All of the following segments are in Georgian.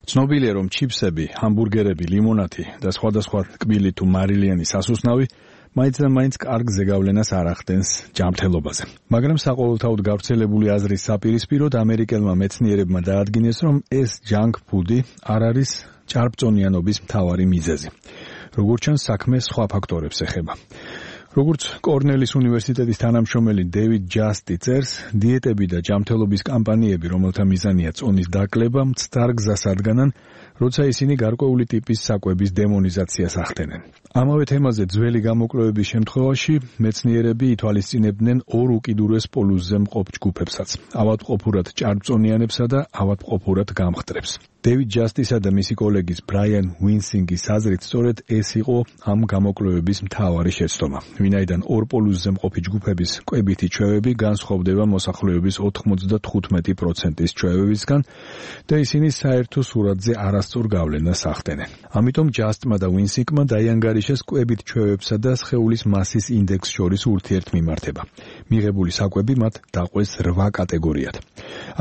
ცნობილია, რომ ჩიფსები, ჰამბურგერები, ლიმონადი და სხვადასხვა ტკბილი თუ მარილიანი სასუსნავი მაინც და მაინც კარგ ზეგავლენას არ ახდენს ჯანმრთელობაზე. მაგრამ საყოველთაოდ გავრცელებული აზრის საპირისპიროდ ამერიკელმა მეცნიერებმა დაადგინეს, რომ ეს ჯანკ ფუდი არ არის ჭარბწონიანობის მთავარი მიზეზი. როგორც ჩანს, საქმე სხვა ფაქტორებს ეხება. როგორც კორნელის უნივერსიტეტის თანამშრომელი დევიდ ჯასტი წერს, დიეტები და ჯანმრთელობის კამპანიები, რომელთა მიზანია წონის დაკლება, მცდარ გზას ადგანან, როცა ისინი გარკვეული ტიპის საკვების დემონიზაციას ახდენენ. ამავე თემაზე ძველი გამოკვლევების შემთხვევაში მეცნიერები ითვალისწინებდნენ ორ უკიდურეს პოლუსზე მყოფ ჯგუფებსაც, ავადმყოფურად ჭარბწონიანებსა და ავადმყოფურად გამხდრებს. დევიდ ჯასტისა და მისი კოლეგის ბრაიან უინსინგის აზრით, სწორედ ეს იყო ამ გამოკვლევების მთავარი შეცდომა, ვინაიდან ორ პოლუსზე მყოფი ჯგუფების კვებითი ჩვევები განსხვავდება მოსახლეობის 95%-ის ჩვევებისგან და ისინი საერთო სურათზე არასწორ გავლენას ახდენენ. ამიტომ ჯასტმა და უინსინგმა დაიანგარიშეს კვებით ჩვევებსა და სხეულის მასის ინდექსს შორის ურთიერთმიმართება. მიღებული საკვები მათ დაყვეს 8 კატეგორიად.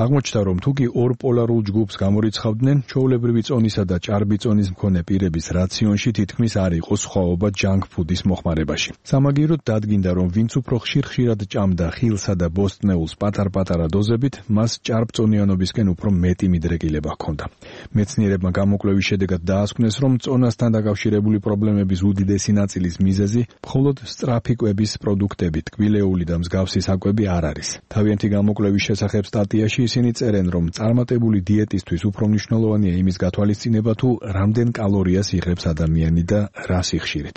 აღმოჩნდა, რომ თუკი ორ პოლარულ ჯგუფს გამორიცხავდნენ, ჩვეულებრივი წონისა და ჭარბი წონის მქონე პირების რაციონში თითქმის არ იყო სხვაობა ჯანკ ფუდის მოხმარებაში. სამაგიეროდ დადგინდა, რომ ვინც უფრო ხშირ-ხშირად ჭამდა ხილსა და ბოსტნეულს პატარ-პატარა დოზებით, მას ჭარბწონიანობისკენ უფრო მეტი მიდრეკილება ჰქონდა. მეცნიერებმა გამოკვლევის შედეგად დაასკვნეს, რომ წონასთან დაკავშირებული პრობლემების უდიდესი ნაწილის მიზეზი მხოლოდ სწრაფი კვების პროდუქტები, ტკბილეული და მსგავსი საკვები არ არის. თავიანთი გამოკვლევის შესახებ სტატიაში ისინი წერენ, რომ წარმატებული დიეტისთვის უფრო მნიშვნელოვანია იმის გათვალისწინება, თუ რამდენ კალორიას იღებს ადამიანი და რა სიხშირით.